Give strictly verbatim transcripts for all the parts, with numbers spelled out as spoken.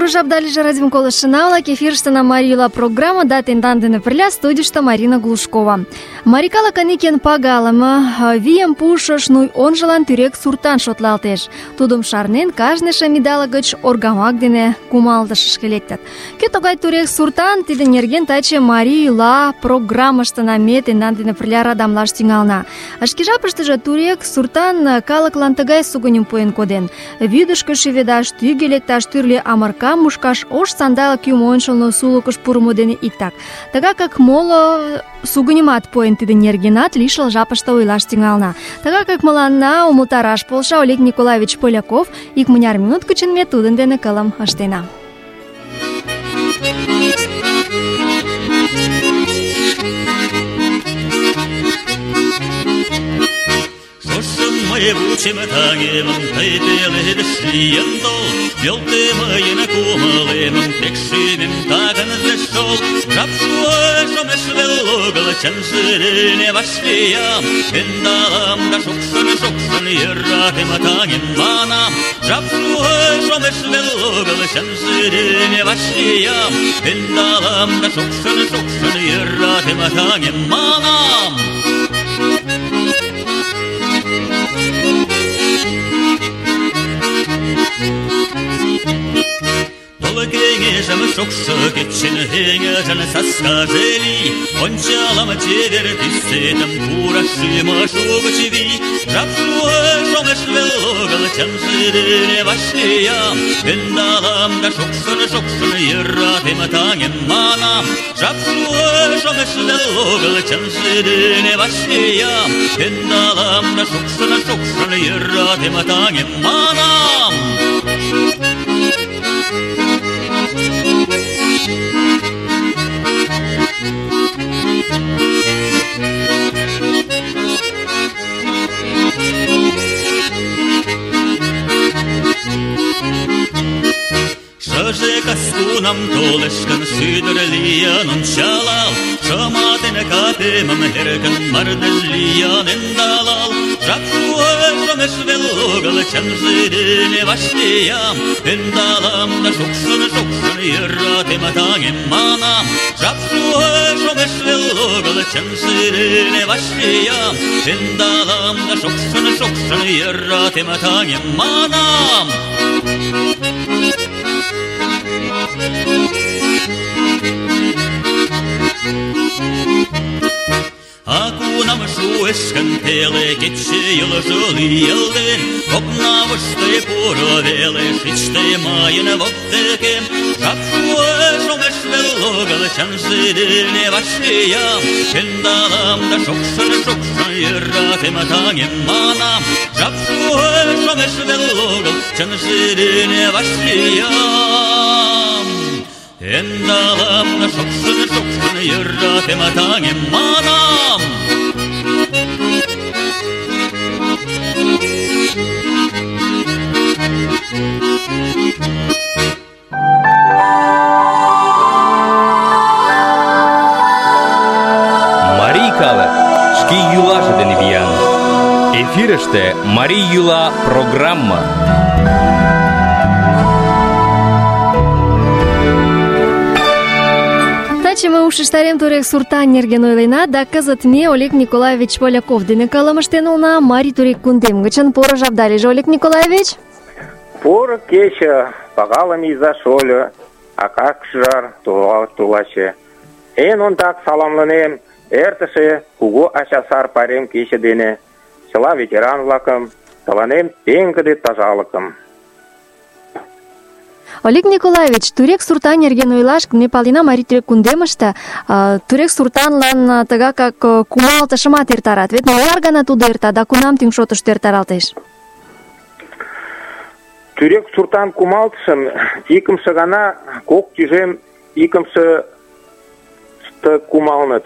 жапдалиже радиом колышына-влак, эфирыштына Марий йӱла программа да тендан дене пырля студийыште Марина Глушкова. Марий калыкын ик эн пагалыме, вийым пуышыш Нуй онжылан тӱрек суртан шотлалтеш. Тудым шарнен, кажне шем идалык гыч оргамак дене кумалтышышке лектыт. Кӧ тугай тӱрек суртан, тиде нерген таче Марий йӱла программыштына ме тендан дене пырля радамлаш тӱҥална. Шке жапыштыже тӱрек суртан калыклан тыгай сугыньым пуэн коден: вӱдышкӧ шӱведаш, тӱгӧ лекташ, тӱрлӧ амыркам мушкаш, ош сандалык юмо ончылно сулыкыш пурымо дене иктак. Тыгакак моло сугыньымат пуэн, тиде нергенат лишыл жапыште ойлаш тӱҥална. Тыгакак мыланна умылтараш полша Олег Николаевич Поляков. Икмыняр минут гычын ме тудын дене кылым ыштена. Вучим тагемым, тый пеледыш лийын тол, Нӧлтӧ мыйын кумылемым, тек шӱмем тагынже шол. Жап шуэш, омеш вел огыл, чынже дене вашлиям, ӧндалам да шокшын-шокшын йӧратем таҥем манам. Жап шуэш, омеш вел огыл, чынже дене вашлиям, ӧндалам да шокшын-шокшын йӧратем таҥем манам. Кеңешем шокшы кечен эҥыжын саскаже лий, ончалам чевер тӱсетым, пура шӱмыш угыч вий. Жап шуэш, омеш вел огыл, чынже дене вашлиям, ӧндалам да шокшын-шокшын йӧратем таҥем манам. Жап шуэш, омеш вел огыл, чынже дене вашлиям, ӧндалам да шокшын-шокшын йӧратем таҥем манам. Шыже кас кунам толеш гын, шӱдыр лийын ончалал, шыматен капемым эркын мардеж лийын ӧндалал. Жап шуэш, омеш вел огыл, чынже дене вашлиям, ӧндалам да шокшын-шокшын йӧратем таҥем манам. Жап шуэш, омеш вел огыл, чынже дене вашлиям, ӧндалам да шокшын-шокшын йӧратем таҥем манам. А кунам шуэш гын теле кече йӱлжӧ лийылден, окнавыште пуро веле шичте мыйын воктекем. Жап шуэш, омеш вел огыл, чынже дене вашлиям, ӧндалам да шокшын-шокшын йӧратем таҥем манам. Жап шуэш, омеш вел огыл, чынже дене вашлиям, ӧндалам да шокшын-шокшын йӧратем таҥем манам. Марий калык шке йӱлаже дене виян. Эфирыште Марий йӱла программа. Таче ме ушештарем тӱрек суртан нерген ойлена, да кызыт ме Олег Николаевич Поляков дене кылым ыштен улына Марий тӱрек кундем гычын. Поро жапдалиже, Олег Николаевич. Поро кече, пагалыме иза-шольо, ака-шӱжар, тулаче. Эн ондак саламлынем эртыше кугу ачасар пайрем кече дене чыла ветеран-влакым, тыланем пеҥгыде тазалыкым. Олег Николаевич, тӱрек суртан нерген ойлаш, ме палена, Марий тӱрек кундемыште тӱрек суртанлан тыгакак кумалтышымат эртарат. Вет мыняр гана тудо эрта да кунам тӱҥ шотышто эртаралтеш? Тӱрек суртан кумалтышым икымше гана кок тӱжем икымшыште кумалыныт.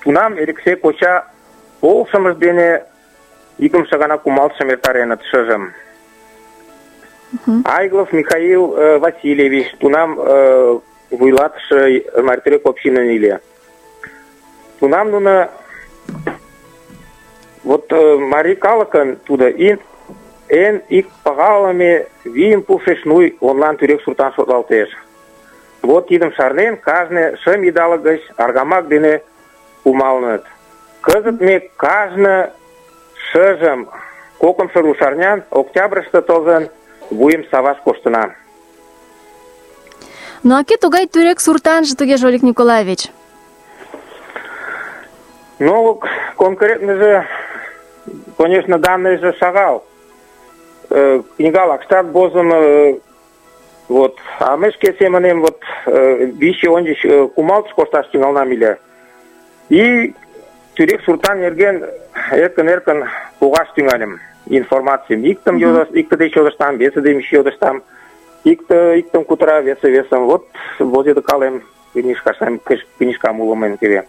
Тунам Элексей коча полшымыж дене икымше гана кумалтышым эртареныт шыжым. Айглов Михаил э, Васильевич, тунам э, вуйлатыше Марий тӱрек общинын иле. Тунам нуно вот э, марий калыкын тудо ин эн ик пагалыме вийым пушеш нуй онлан тӱрек суртан шотлалтеш. Вот тидым шарнен, кажне шым идалык гыч аргамак дене кумалыныт. Кызыт ме кажне шыжым кокымшо рушарнян октябрьыште толын вуйым саваш коштына. Ну а кӧ тугай тӱрек суртанже тугеже, Олег Николаевич? Ну, конкретныже, конечно, данные же шагал. Э, книгалак штат возым, э, вот, а мы шке семенем вот вище ончыч кумалтыш кошташ тӱҥалнам ыле. И тӱрек суртан нерген эркын-эркын погаш тӱҥальым информацийым. Иктым йодыш, икте деч йодыштам, весе деч йодыштам. Икте иктым кутыра, весе весым. Вот возедыкалем книжкашем, книжкам уло мыйын теве.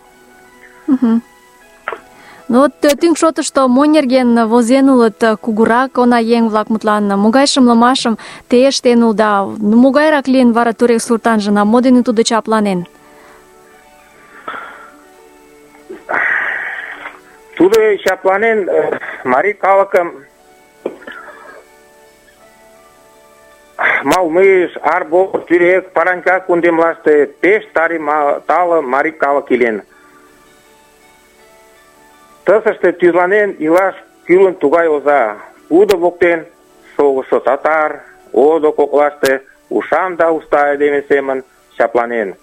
Ну вот тӱҥ шотышто мо нерген возен улыт кугурак унаеҥ-влак, мутлан, могай шымлымашым те ыштен улыда, могайрак лийын вара тӱрек суртанжына, мо дене тудо чапланен? Тудо чапланен марий калыкым Малмыж, Арбор, Тӱрек, Паранька кундемлаште пеш тари тале марий калык илен. Тысыште тӱзланен илаш кӱлын тугай оза. Удо воктен шогышо татар, одо коклаште ушан да уста айдеме семын чапланен.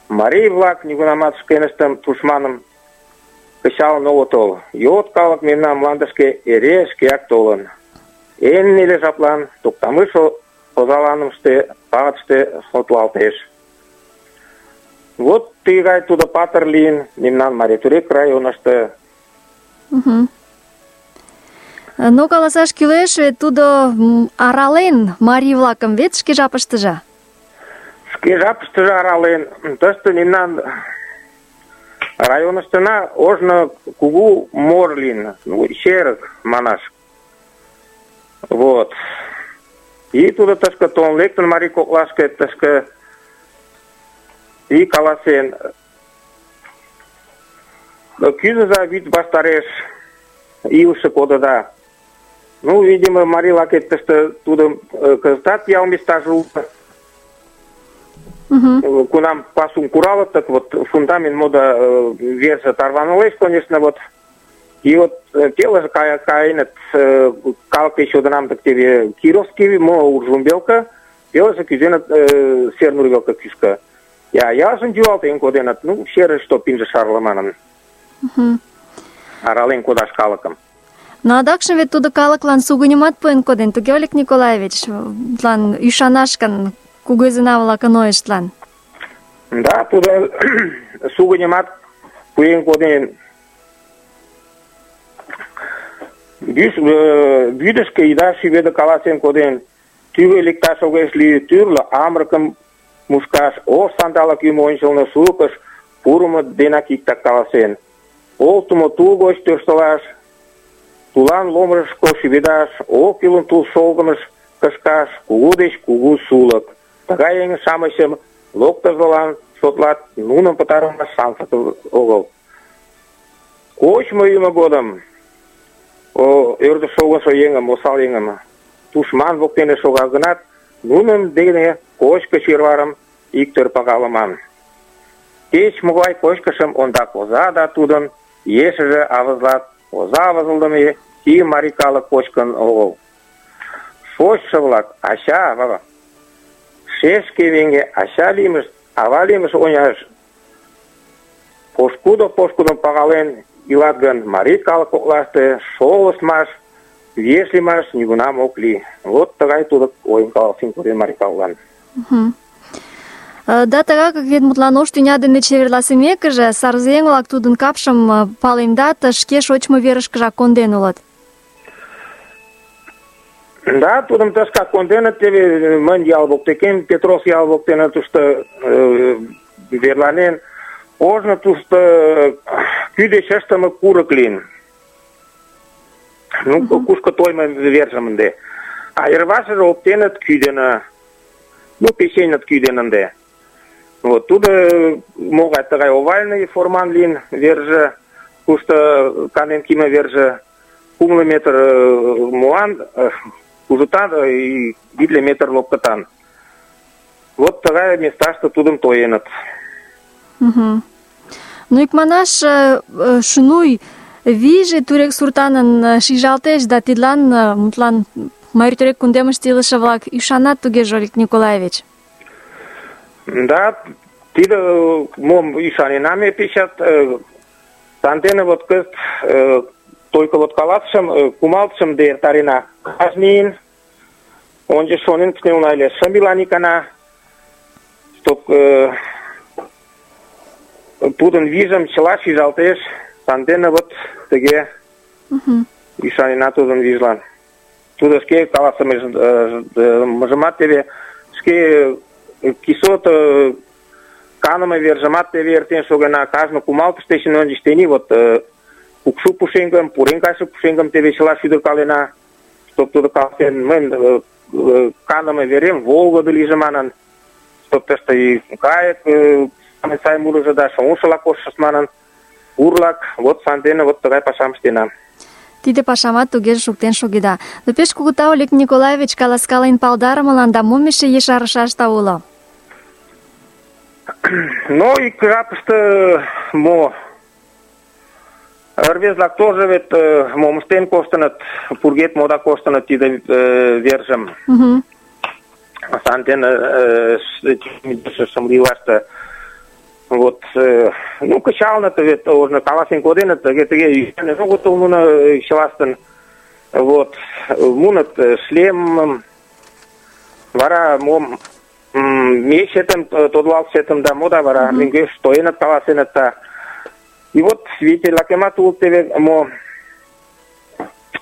Марий-влак нигунамат шкеныштым тушманым кычалын огытыл. Йот калык мемнан мландышке эре шкеак толын. Эн неле жаплан Токтамыш озаланымыште пагытыште шотлалтеш. Вот тыгай тудо патыр лийын мемнан Марий-Турек районышто. Угу. Но каласаш кӱлеш, тудо арален марий-влакым вет шке жапыштыже. Шке жапыштыже арален. Тыште мемнан районыштына ожно кугу мор лийын, ну, черык манаш. Вот. И тудо тышке толын лектын марий коклашке, тышке и каласен: кӱзыза вӱд ваштареш илыше кодыда. Ну, видимо, марий-влакет тыште тудым кызытат ял местаже уло. Uh-huh. Кунам пасум куралыт, так вот фундамент мода верже тарванылеш, конечно, вот. И вот телыже каеныт, калык деч йодынам, так теве Кировский, мо Уржумбелка, телыже кӱзеныт Сернурвелка кӱшкӧ. Я ялжым юалтен коденыт, ну, черышто пинже шарле манын. Uh-huh. Арален кодаш калыкым. Но адакшым вет тудо калыклан сугыньымат пуэн коден, туге, Олег Николаевич, тлан ӱшанаш гын кугызына-влакын ойыштлан. Да, тудо сугыньымат пуэн коден. Вӱдышкӧ ида шӱведӧ каласен коден. Тӱгӧ лекташ огеш лий, тӱрлӧ амырыкым мушкаш, ош сандалык ӱмӧ ончылно сулыкыш пурымо денак иктак каласен. Олтымо тул гоч тӧрштылаш, тулан ломыжышко шӱведаш, ок кӱлын тул шолгымыш кышкаш, кугу деч кугу сулык. Тыгай еҥ-шамычым локтызылан шотлат, нуным пытарымаш шансат огыл. Кочмо-йӱмӧ годым ӧрдыш шогышо еҥым, осал еҥым тушман воктене шога гынат, нунын дене кочко чеварым иктӧр пагалыман. Кеч-могай кочкышым ондак оза да тудын ешыже авызлат. Оза авызлыдыме и марий калык кочкын огыл. Шочшо-влак ача, ава, шешке веҥе ача лиймышт, ава лиймышт оняш пошкудо-пошкудым пагален илат гын, марий калык коклаште шолыштмаш, виеш лиймаш нигунам ок лий. Вот тыгай тудо ойым каласен коден марий калыклан. Да тыгак вет мутлан ош тӱня дене чеверласымекыже, сарзеҥ-влак тудын капшым палемдат, шке шочмо верышкыжак конден улыт. Да, тудым тышкак конденыт, теве мынь ял воктекем, Петрос ял воктене тушто верланен. Ожно тушто кӱ деч ыштыме курык лийын. Ну, кушко тоймо вержым ынде. А йырвашыже оптеныт кӱ дене, ну, печеныт кӱ дене ынде. Вот, тудо могай тыгай овальный форман лийын верже, кушто канен кийыме верже. кумло метр муан, кужутан и витле метр лопкатан. Вот тыгай месташте тудым тоеныт. Угу. Ну, икманаш, шунуй вийже тюрек суртанын шижалтеш, да тидлан, мутлан, Марий тюрек кундемыште илыше-влак ӱшанат тугеже, Олег Николаевич? Да, тиде мом ӱшанена ме пешат. Сандене вот кызыт только вот каласышым, кумалтышым да эртарена. Кажнийын ончыч шонен кынелна ыле, шым илан икана, чтоб тудын вийжым чыла шижалтеш. Сандене вот тыге ӱшанена тудын вийжлан. Тудо шке каласымыжымат теве, шке кисот каныме вержымат теве эртен шогена. Кажне кумалтыш дечын ончыч тений вот кукшу пушеҥгым, пурен кайше пушеҥгым теве чыла шӱдыркалена, чтоб тудо каласен, мыйын каныме верем волгыдо лийже манын, чтоб тыште кайык сай мурыжо да шоҥшыла коштшышт манын, урлак, вот сандене вот тыгай пашам ыштена. Тиде пашамат тугеже шуктен шогеда. Но пеш кугу тау, Олег Николаевич, каласкален палдарымылан, да мом эше ешарышашда уло? Ну, ик жапыште мо рвезе-влак тоже вет мом ыштен коштыныт, пургед мода коштыныт тиде вержым. Сандене шымлилаште. Вот, ну, кычалыныт вет, ожно каласен коденыт, тыге-тыге огыт тол нуно чылаштын. Вот, муыныт шлемым, вара мом мечетым, тодылалтшетым да мода вара мӧҥгеш тоеныт, каласеныт да. И вот свидетель-влакемат улыт теве мо,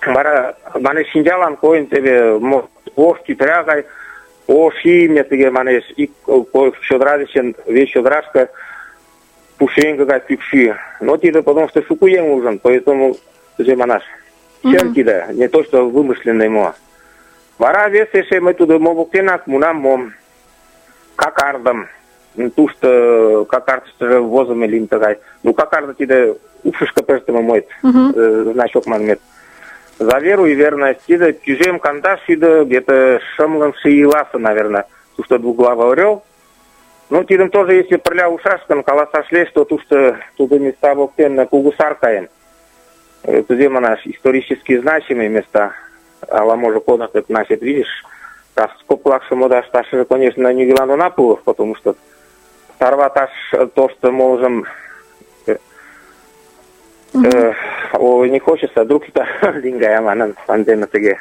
вара манеш шинчалан койын теве мо ош тӱтыра гай, ош имне тыге манеш, ик чодыра дечын вес чодырашке пушеҥге гай кӱкшӱ. Но тиде потому что шуко еҥ ужын, поэтому кузе манаш, чын тиде, не то что вымышленный мо. Вара вес эше мый тудо мо воктенак муынам мо какардым. Тушто какардыштыже возымо лийын тыгай. Ну, какарды тиде упшышко пыштыме мойт, значок манмет. За веру и верность тиде тӱжем кандаш шӱдӧ, где-то шымлымше ийласе, наверное, тушто двуглавый орел. Ну, тидым тоже, если пырля ушаш гын, каласаш лиеш, то тушто тудо места воктен кугу сар каен. Кузе манаш, исторически значимые места. Ала-може кодын, как значит, видишь, раскоплакше мода шташыже, конечно, нигилан она пулов, потому что тарваташ то, что можем... Uh-huh. О, не хочется, вдруг это лингая манан, сандена теге.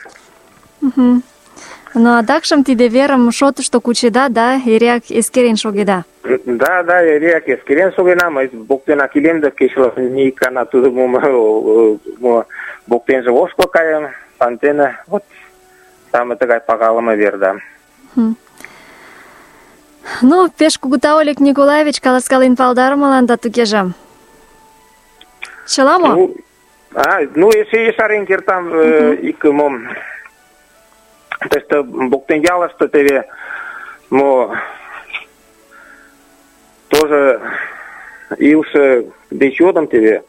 Ну, адакшым тиде верым шотышто кучеда, да, эреак эскерен шогеда? Да, да, эреак эскерен шогена, мый воктенак илем да кечылан ни икана тудо мо воктенже ошкыл каем, сандена, вот самый тыгай пагалыме вер, да. Ну, пеш кугу тау, Олег Николаевич, каласкален палдарымылан да тугеже. Чыла мо? Ну, а, ну, эше ешарен кертам ик мом. Тыште воктен ялыште теве мо тоже илыше деч йодым теве.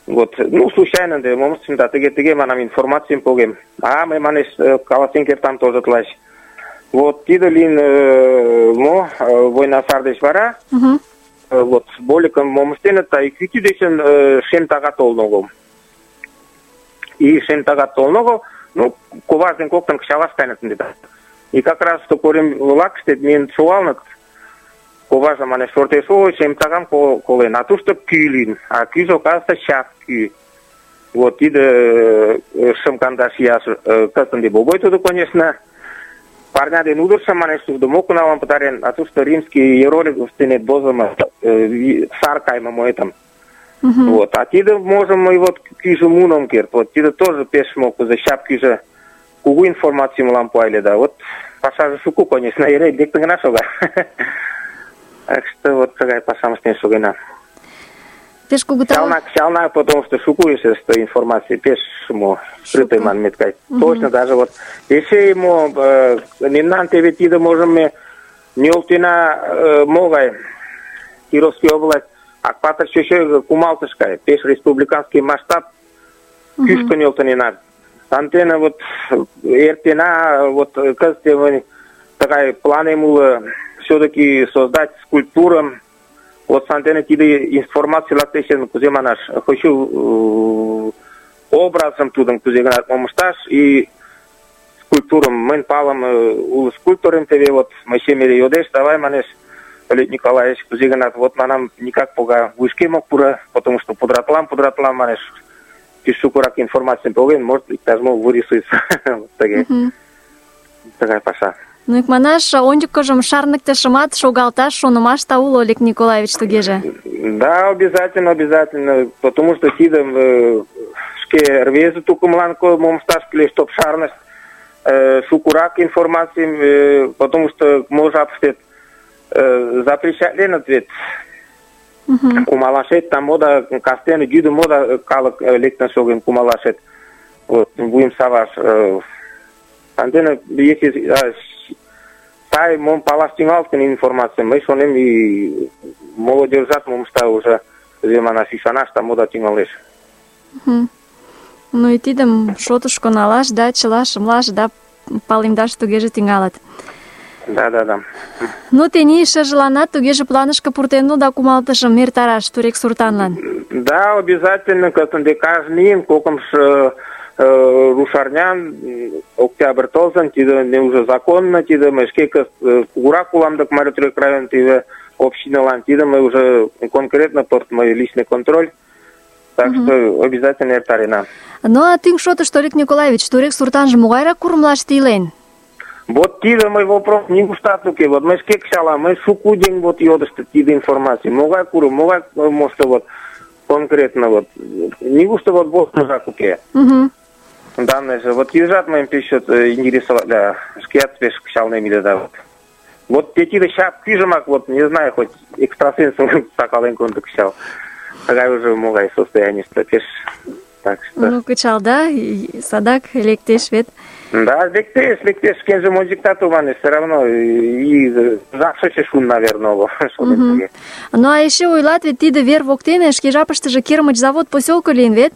Вот, ну, случайно де мом ыштем да тыге-тыге манам информацийым погем. А, мый манеш каласен кертам тоже тылач. Вот, тиде лийын мо война сар деч вара. Вот, боликым мом ыштеныт, да ик вӱтӱ дечын шем тага толын огыл. И шем тага толын огыл, ну, коваж ден коктын кычалаш кайнет ынде. И как раз то корем лакыште миен шогалыныт. Коважым манеш шортеш, ой, шем тагам колен, а тушто кӱ лийын. А кӱжӧ, оказывается, час кӱ. Вот, тиде шым кандаш ияш кызыт ынде богой тудо, конечно. Парня ден удыршым, манеш, тудо мокуналан пытарен, а тушто римский иероглиф дене возымо сар кайме моэтым. Вот, а тиде можем мы вот кӱжӧ муным керт. Вот тиде тоже пеш мокузо, щап кӱжӧ кугу информацийым мылам пуале, да. Вот пашаже шуко, конечно, эре лектын гына шога. Так что вот тыгай пашам ыштен шогена. Пеш кугу тау. Чална, чална, потому что шуко эше что информация пеш мо скрытый манмет кай. Точно даже вот эше ему мемнан теве тиде можем ме нӧлтена могай Кировский область Акпатыр чөчө кумалтыш кай. Пеш республиканский масштаб кӱшкӧ нӧлтыненат. Сантене вот эртена, вот кызыт мый тыгай планем уло все-таки создать скульптурам. Вот сантене тиде информация лактешен, кузе манаш, хочу образым тудым кузе-гынат мом ышташ и скульптурым мыйын палым уло скульпторым теве вот мый шемере йодеш, давай манеш, Олег Николаевич, кузе-гынат, вот манам никак пога вуйышкем ок пуро, потому что подратлам, подратлам манеш. Пеш шукырак информацийым поген, может, иктаж-мо вырисуется. Тыге. Тыгай паша. Ну, икманаш, ончыкыжым шарныктышымат шогалташ шонымашта уло, Олег Николаевич, тугеже. Да, обязательно, обязательно, потому что тидым шке рвезе тукымлан мом ышташ кӱлеш, чтоб шарнышт шукырак информацийым, потому что мо жапыште запрещатленыт вет. Кумалашет, там мода, кастене йӱдым мода калык лектын шоген кумалашет. Вот, вуйым саваш. Антенне, если сай мом палаш тӱҥалыт гын информацийым, мый шонем, и молодежьат мом ышта уже, кузе манаш, ӱшанаш, там мода тӱҥалеш. Ну и тидым шотышко налаш да чыла шымлаш да палемдаш тугеже тӱҥалыт. Да, да, да. Ну, тений шыжыланат тугеже планышке пуртен да кумалтышым эртараш Турек суртанлан. Да, обязательно, кызыт каждый ийын кокымшо рушарнян октябрь толзын, тиде не уже законно, тиде мый шке кызыт кугурак улам дык Марий Турек район тиде общиналан, тиде мый уже конкретно под мой личный контроль. Так что обязательно эртарена. Ну, а тӱҥ шотышто, Олег Николаевич, Турек суртанже могайрак курымлаште илен? Вот тиде мой вопрос нигуштат уке. Вот мый шке кычалам, мый шуко деň вот йодышты тиде информаций. Могай курым, могай мошто вот конкретно вот. Нигушто вот бостыжак уке. Данный же вот ежат мыйым пеш чот интересовать, да, шкеат пеш кычалнем иле да вот. Вот те тиде шап пижымак вот, не знаю, хоть экстрасенсым сакален конды кычал. Тыгай уже могай состоянийыште пеш. Так что... Ну, кычал, да, садак лектеш вет. Да, лектеш, лектеш, шкенже мой диктату манеш, все равно, и жакшыше шун, наверное, шонем тыге. Ну, а эше ойлат вет тиде вер воктене шке жапыштыже кермыч завод посёлко лийын вет?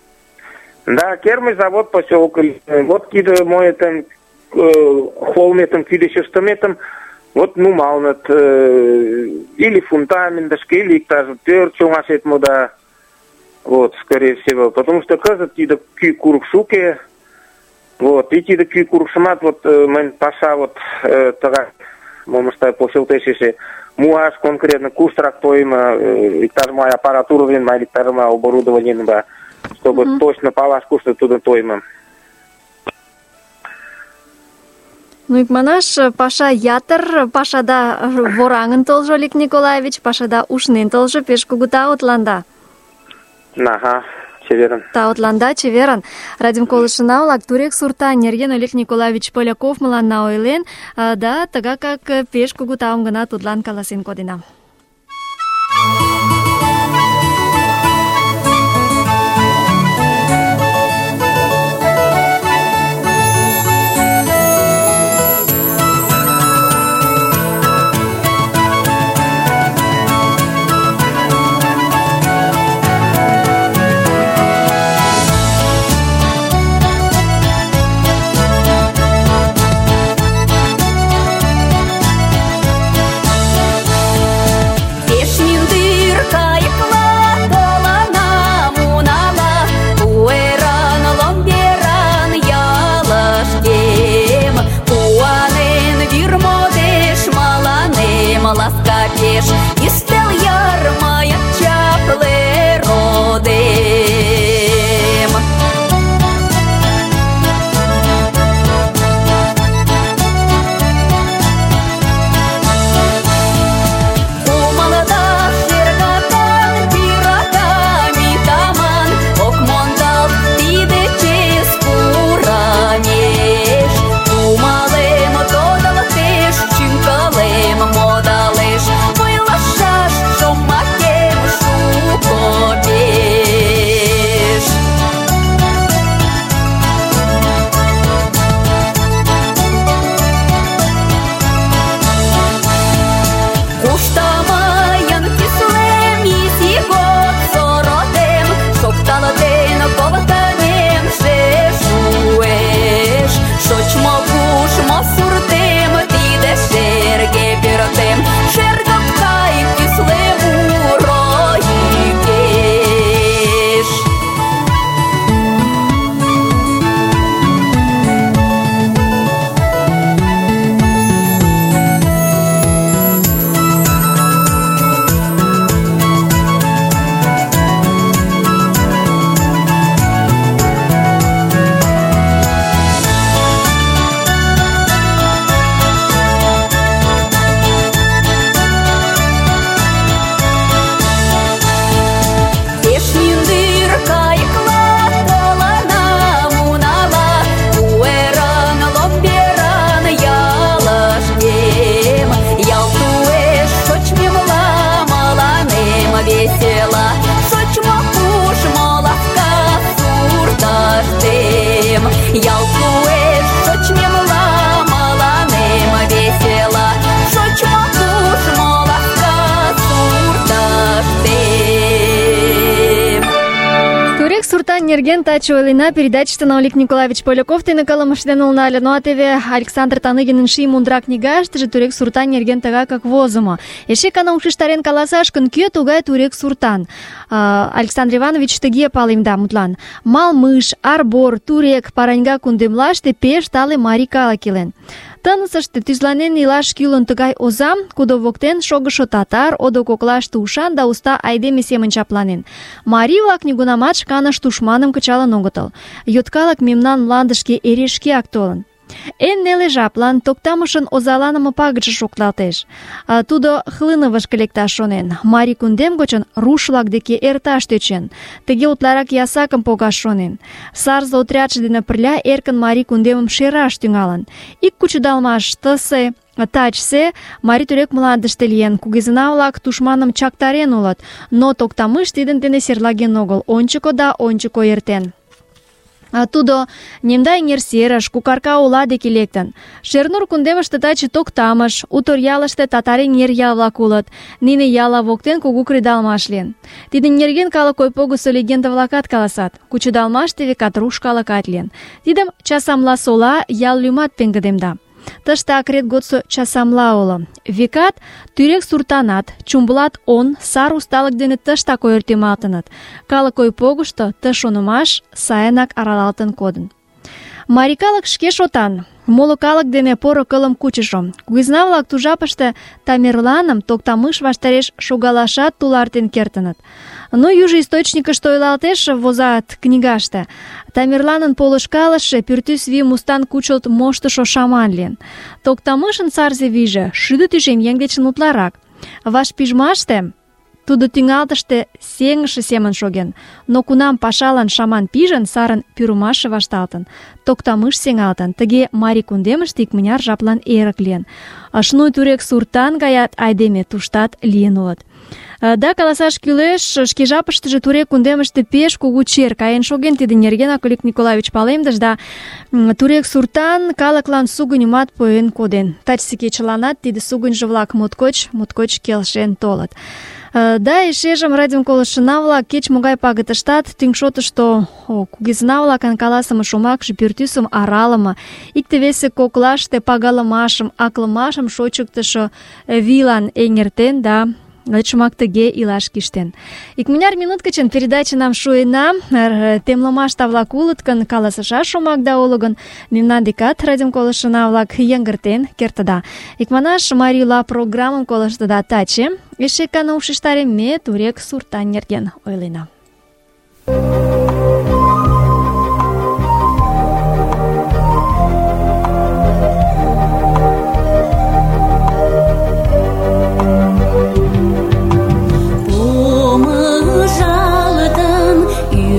Да, кермыч завод посёлко лийын. Вот тиде мой там холметым, кӱлешыштыметым вот нумалыныт, или фундаментышке, или иктаж пӧрт чоҥашет мода. Вот, скорее всего, потому что кызыт тиде кӱ курык шуке. Вот, и тиде кӱ курыкшымат вот мыйын паша вот тыгай мом ышта почылтеш эше муаш конкретно куштырак тойымо, иктаж-могай аппаратура дене, але иктаж-могай оборудование дене, чтобы точно палаш кушто тудын тойымо. Ну, икманаш, паша ятыр, пашада вораҥын толжо, Олег Николаевич, пашада ушнен толжо, пеш кугу таутланда. Ага, чеверын. Таутланда, чеверын. Радиом колышына-влак, Турек суртан нерген Олег Николаевич Поляков мыланна ойлен, да тыгакак пеш кугу таум гына тудлан каласен кодена. Модалеш, ойла нерген таче ойлена. Передачыштын Олег Николаевич Поляков дене кылымыштен улнале. Ну а теве Александр Таныгинын «Ший мундыра» книгаштыже тюрек суртан нерген тыгакак возымо. Эше кана ушештарен каласаш гын, кӧ тугай тюрек суртан? Александр Иванович тыге палемда мутлан: Малмыж, Арбор, Турек, Параньга кундемлаште пеш тале марий калык илен. Тынысыште тӱзланен илаш кӱлын тыгай озам, кудо воктен шогышо татар, одо коклаште ушан да уста айдеме семын чапланен. Марий-влак нигунамат шканышт тушманым кычалын огытыл. Йоткалык мемнан мландышке эре шкеак толын. Эн неле жаплан Токтамышын озаланыме пагытше шокталтеш. Тудо Хлыновышко лекташ шонен. Марий кундем гочын руш-влак деке эрташ тӧчен. Тыге утларак ясакым погаш шонен. Сарзе отрядше дене пырля эркын марий кундемым шераш тӱҥалын. Ик кучедалмаш тысе, тачсе марий тӱрек мландыште лийын. Кугезына-влак тушманым чактарен улыт, но Токтамыш тидын дене серлаген огыл. Ончыко да ончыко эртен. Тудо Немда эҥер серыш, Кукарка ола деке лектын. Шернур кундемыште таче Токтамыш, Утор ялыште татар эҥер ял-влак улыт. Нине ялла воктен кугу кредалмаш лийын. Тидын нерген калык ойпогысо легенда-влакат каласат. Кучедалмаште векат руш калыкат лийын. Тидым Часамла сола ял лӱмат пеҥгыдемда. Тыште акрет годсо Часамла уло. Векат, тюрек суртанат, Чумбулат он сар усталык дене тыштак ойыртемалтыныт. Калык ойпогышто ты шонымаш сайынак аралалтын кодын. Марий калык шке шотан, моло калык дене поро кылым кучышо. Кугезна-влак ту жапыште Тамерланым Токтамыш ваштареш шогалашат тулартен кертыныт. Но южо источникышто ойлалтеш, возат книгаште: Тамерланын полышкалыше пӱртӱс вийым устан кучылт моштышо шаман лийын. Токтамышын сарзе вийже шӱдӧ тӱжем еҥ дечын утларак. Вашпижмаште тудо тӱҥалтыште сеҥыше семын шоген, но кунам пашалан шаман пижын, сарын пӱрымашше вашталтын, Токтамыш сеҥалтын. Тыге марий кундемыште икмыняр жаплан эрык лийын. Шнуй тюрек суртан гаят айдеме туштат лийын улыт. Да, каласаш кӱлеш, шке жапыштыже Турек кундемыште пеш кугу чер каен шоген. Тидын нергенак Олег Николаевич палемдыш, да Турек суртан калыклан сугыньымат пуэн коден. Тачысе кечыланат тиде сугыньжо-влак моткоч, моткоч келшен толыт. Да, эшежым радиом колыштшына-влак кеч-могай пагытыштат тӱҥ шотышто кугезына-влакын каласыме шомакше пӱртӱсым аралыме, икте-весе коклаште пагалымашым, аклымашым шочыктышо вийлан эҥертен да шомак тыге илаш кӱштен. Икмыняр минут гычын передачынам шуена. Темлымашта-влак улыт гын, каласышаш шомакда уло гын, мемнан декат радиом колыштшына-влак йыҥгыртен кертыда. Икманаш, Марийла программым колыштыда таче. Эше кана ушештарем, ме Турек суртан нерген ойлена.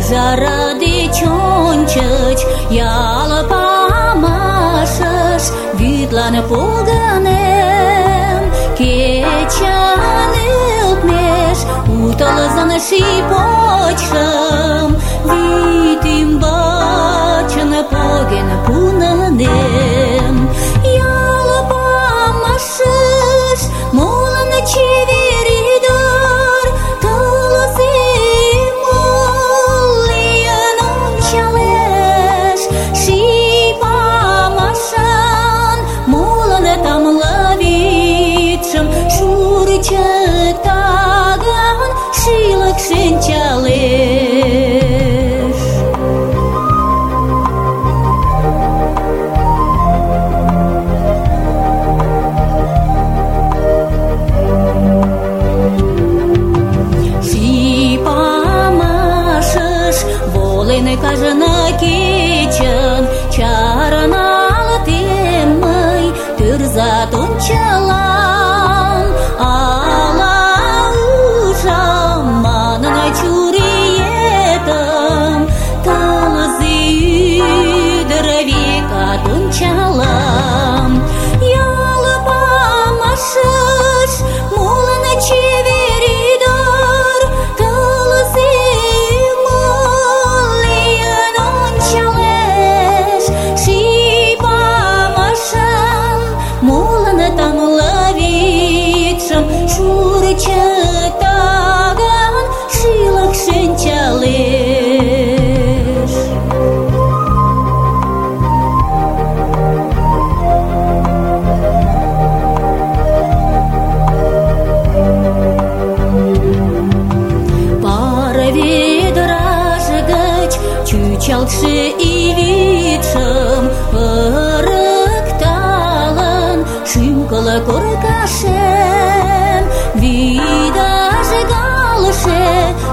Жара деч ончыч ял памашыш вӱдлан погынем. Кечан ӧлтмеш утылызын ший почшым вӱд ӱмбачын поген пунынем. Ял памашыш молын чевер ӱдыр тылзе чытаган шӱлык шинчалеш.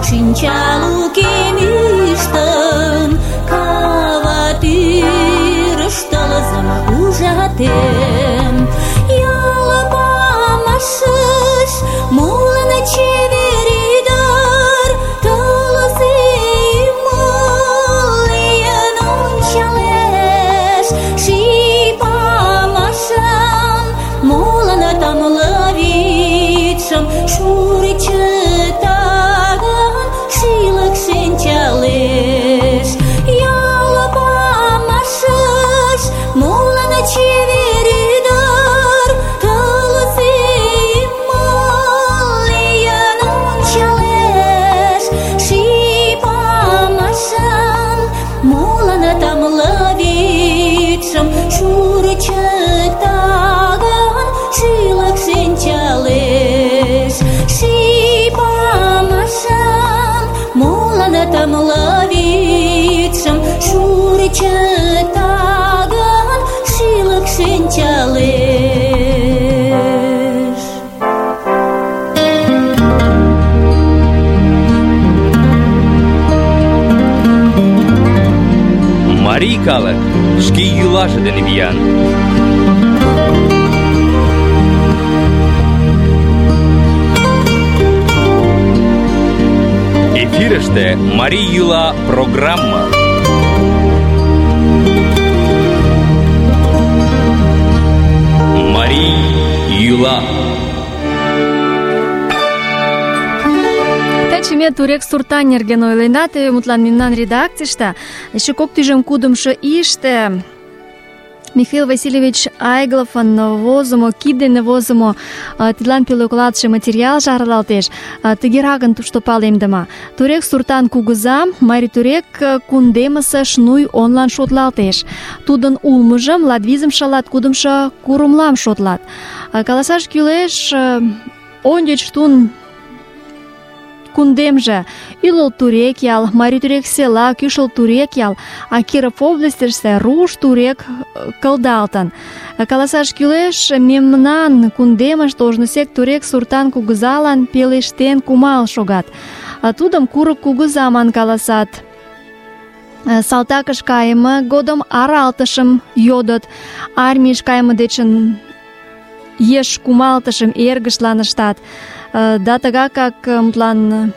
шинчалукем ӱштын, кава тӱрыш тылзым ужатем. Ял памашыш молын чевер ӱдыр, тылзе ӱмылен ончалеш. Ший памашым молын тамле вӱдшым шурчытаган шӱлык шинчалеш. Ял памашыш молын чевер ӱдыр, тылзе ӱмылен ончалеш. Ший памашым молын тамле вӱдшым шурчытаган шӱлык шинчалеш. Ший памашым молын тамле вӱдшым шурчытаган шӱлык шинчалеш. Марий калык шке йӱлаже дене виян. Эфирыште Марий йӱла программа. Марий йӱла. Таче ме турек суртан нерген ойленат, мутлан мемнан редакцийыште эше кок тӱжем кудымшо ийыште Михаил Васильевич Айгловын возымо, кид дене возымо тидлан пӧлеклалтше материал шарналтеш. Тыгеракын тушто палемдыме: турек суртан кугыза марий турек кундемысе Шнуй онлан шотлалтеш. Тудын улмыжым латвизымше латкудымшо курымлам шотлат. Каласаш кӱлеш, ончыч тун кундемже Ӱлыл турек ял, Марий турек села, Кӱшыл турек ял, а Киров областьыште руш турек кылдалтын. Каласаш кӱлеш, мемнан кундемыште ожнысек турек суртан кугызалан пелештен кумал шогат. Тудым курык кугыза ман каласат. Салтакыш кайыме годым аралтышым йодыт, армийыш кайыме дечын еш кумалтышым эргыштлан ыштат. Да тыгакак мутлан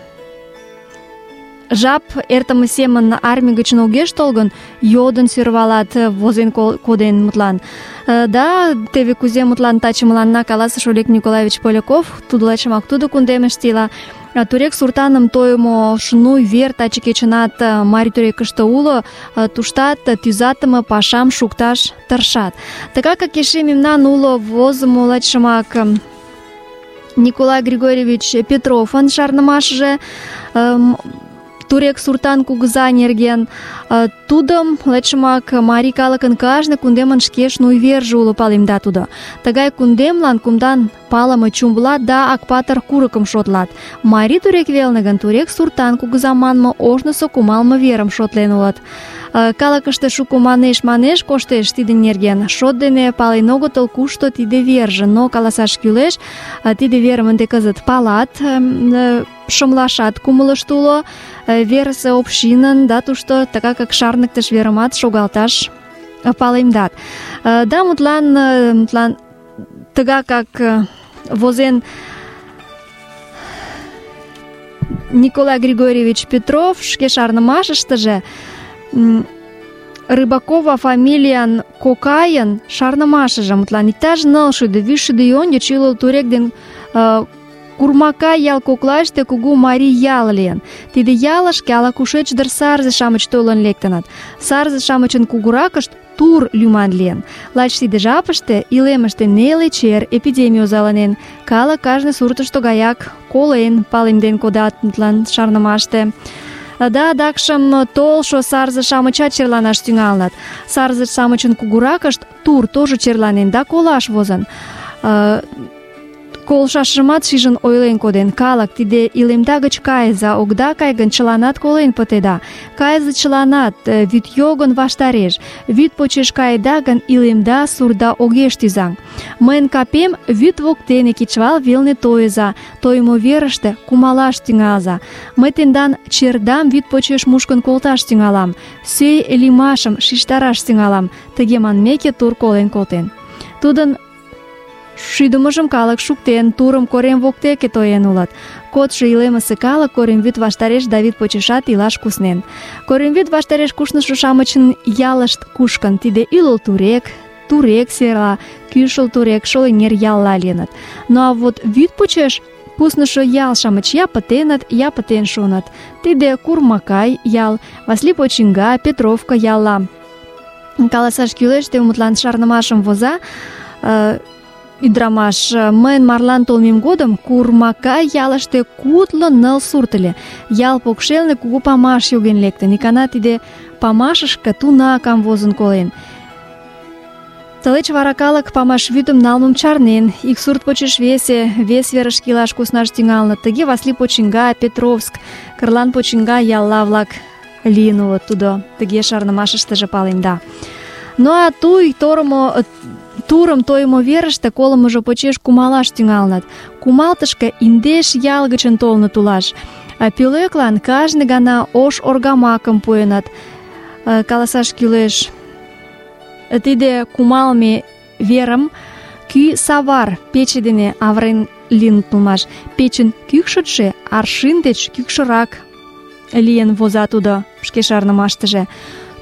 жап эртыме семын армий гычын огеш тол гын, йодын сӧрвалат, возен коден мутлан. Да, теве кузе мутлан таче мыланна каласыш Олег Николаевич Поляков, тудо лачымак тудо кундемыште ила. Турек суртаным тойымо Шнуй вер таче кечынат Марий турекыште уло, туштат тӱзатыме пашам шукташ тыршат. Тыгакак эше мемнан уло возымо лачымак Николай Григорьевич Петровын шарнымашыже турек суртан кугыза нерген. Тудым лачымак марий калыкын кажне кундемын шке Шнуй верже уло, палемда тудо. Тыгай кундемлан кумдан палыме Чумбулат да Акпатыр курыкым шотлат. Марий турек велне гын турек суртан кугыза манме ожнысо кумалме верым шотлен улыт. Калыкыште шуко манеш-манеш коштеш тидын нерген. Шот дене пален огытыл, кушто тиде верже, но каласаш кӱлеш, тиде верым ынде кызыт палат, шымлашат кумылышт уло, верысе общинын, да тушто тыгакак шарныктыш верымат шогалташ палемдат. Да, мутлан, мутлан тыгакак возен Николай Григорьевич Петров шке шарнымашыштыже Рыбакова фамилиян кокайын шарнымашыже, мутлан иктаж нылшӱдӧ вичшӱдӧ ий ончыч Ӱлыл турек ден Курмака ял коклаште кугу марий ял лийын. Тиде ялышке ала-кушеч дыр сарзе-шамыч толын лектыныт. Сарзе-шамычын кугуракышт Тур лӱман лийын. Лач тиде жапыште илемыште неле чер эпидемий озаланен. Калык кажне суртышто гаяк колен, палемден кодат мутлан шарнымаште. Да, адакшым толшо сарзе-шамычат черланаш тӱҥалыныт. Сарзе-шамычын кугуракышт Тур тоже черланен да колаш возын. колшашымат шижын ойлен коден: калык, тиде илемда гыч кайыза, огда кай гын, чыланат колен пытеда. Кайыза чыланат, вӱд йогын ваштареш. Вӱд почеш каеда гын, илемда сурда огеш тӱзаҥ. Мыйын капем вӱд воктене кечывал велне тойыза, тойымо верыште кумалаш тӱҥалза. Мый тендан чердам вӱд почеш мушкын колташ тӱҥалам, сӧй лиймашым шижтараш тӱҥалам. Тыге манмеке, тур колен колтен. Тудын шӱдымыжым калык шуктен, турым корем воктеке тоен улыт. Кодшо илемысе калык Коремвӱд ваштареш да вӱд почешат илаш куснен. Коремвӱд ваштареш кушнышо-шамычын ялышт кушкын. Тиде ӱлыл Турек, Турек сера, Кӱшыл Турек, Шолеҥер ялла лийыныт. Ну а вот вӱд почеш куснышо ял-шамыч я пытеныт, я пытен шуыныт. Тиде Курмакай ял, Васли почиҥга, Петровка ялла. Каласаш кӱлеш, те мутлан шарнымашым воза, ӱдырамаш: мыйын марлан толмем годым Курмакай ялыште кудло ныл сурт ыле. Ял покшелне кугу памаш йоген лектын. Икана тиде памашышке туна камвозын колен. Тылеч вара калык памаш вӱдым налмым чарнен, ик сурт почеш весе, вес верышке илаш куснаш тӱҥалыныт. Тыге Васли почиҥга, Петровск, Кырлан почиҥга ялла-влак лийын улыт. Тудо тыге шарнымашыштыже паленда. Ну а туй торымо турым тойымо верыште колымыжо почеш кумалаш тӱҥалыныт. Кумалтышке индеш ял гычын толыныт улаш. Пӧлеклан кажне гана ош оргамакым пуэныт. Каласаш кӱлеш, тиде кумалме верым кӱ савар пече дене авырен лийыныт улмаш. Печын кӱкшытшӧ аршин деч кӱкшырак лийын, воза тудо шке шарнымаштыже.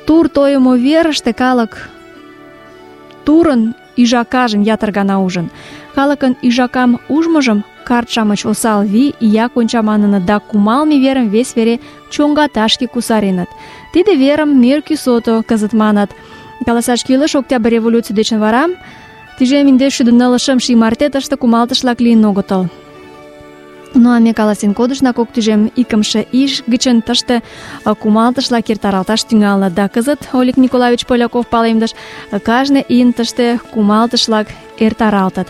Тур тойымо верыште калык турын ӱжакажым ятыр гана ужын. Калыкын ӱжакам ужмыжым карт-шамыч осал вий, ия конча маныныт да кумалме верым вес вере чоҥгаташке кусареныт. Тиде верым мӧр кӱсото кызыт маныт. Каласаш кӱлеш, Октябрь революций дечын вара тӱжем индеш шӱдӧ нылле шым ий марте тыште кумалтыш-влак лийын огытыл. Ну а ме каласен кодышна, кок тӱжем икымше ий гычын тыште кумалтыш-влак эртаралташ тӱҥалыныт. Да кызыт Олег Николаевич Поляков палемдыш: кажне ийын тыште кумалтыш-влак эртаралтыт.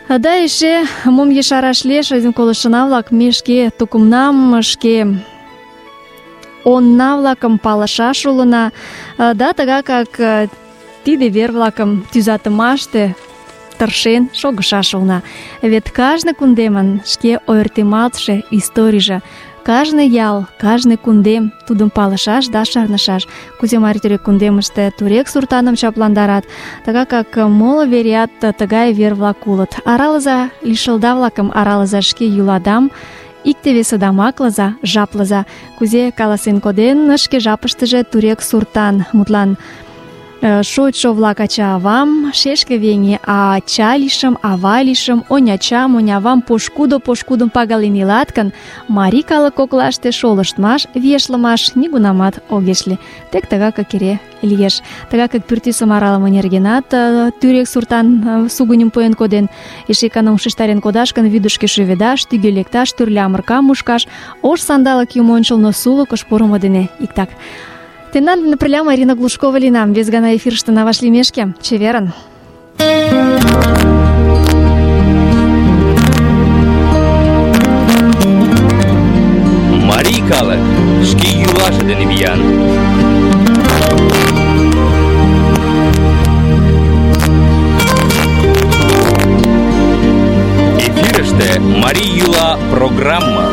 Да эше мом ешараш лиеш, азин колыштына-влак, ме шке тукымнам, шке онна-влакым палышаш улына. Да тыгакак тиде вер-влакым тӱзатымаште тыршен шогышаш улына. Вет кажне кундемын шке ойыртемалтше историйже, кажне ял, кажне кундем тудым палышаш да шарнышаш. Кузе Марий Турек кундемыште турек суртаным чапландарат, тыгакак моло вереат тыгай вер-влак улыт. Аралыза лишылда-влакым, аралыза шке йӱладам, икте-весыдам аклыза, жаплыза. Кузе каласен коден шке жапыштыже турек суртан, мутлан шочшо-влак ача-авам, шешке веҥе, а ача лийшым, ава лийшым, онячам, онявам пошкудо-пошкудым пагален илат гын, марий калык коклаште шолыштмаш, виешлымаш нигунамат огеш лий. Тек тыгакак эре лиеш. Тыгакак пӱртӱсым аралыме нергенат тӱрек суртан сугыньым пуэн коден. Эше икана ушештарен кодаш гын, вӱдышкӧ шӱведаш, тӱгӧ лекташ, тӱрлӧ амыркам мушкаш, ош сандалык юмо ончылно сулыкыш пурымо дене иктак. Тендан дене пырля Марина Глушкова лийынам. Вес гана эфирыште вашлиймешке, чеверын. Марий калык шке йӱлаже дене виян. Эфирыште Марий йӱла программа.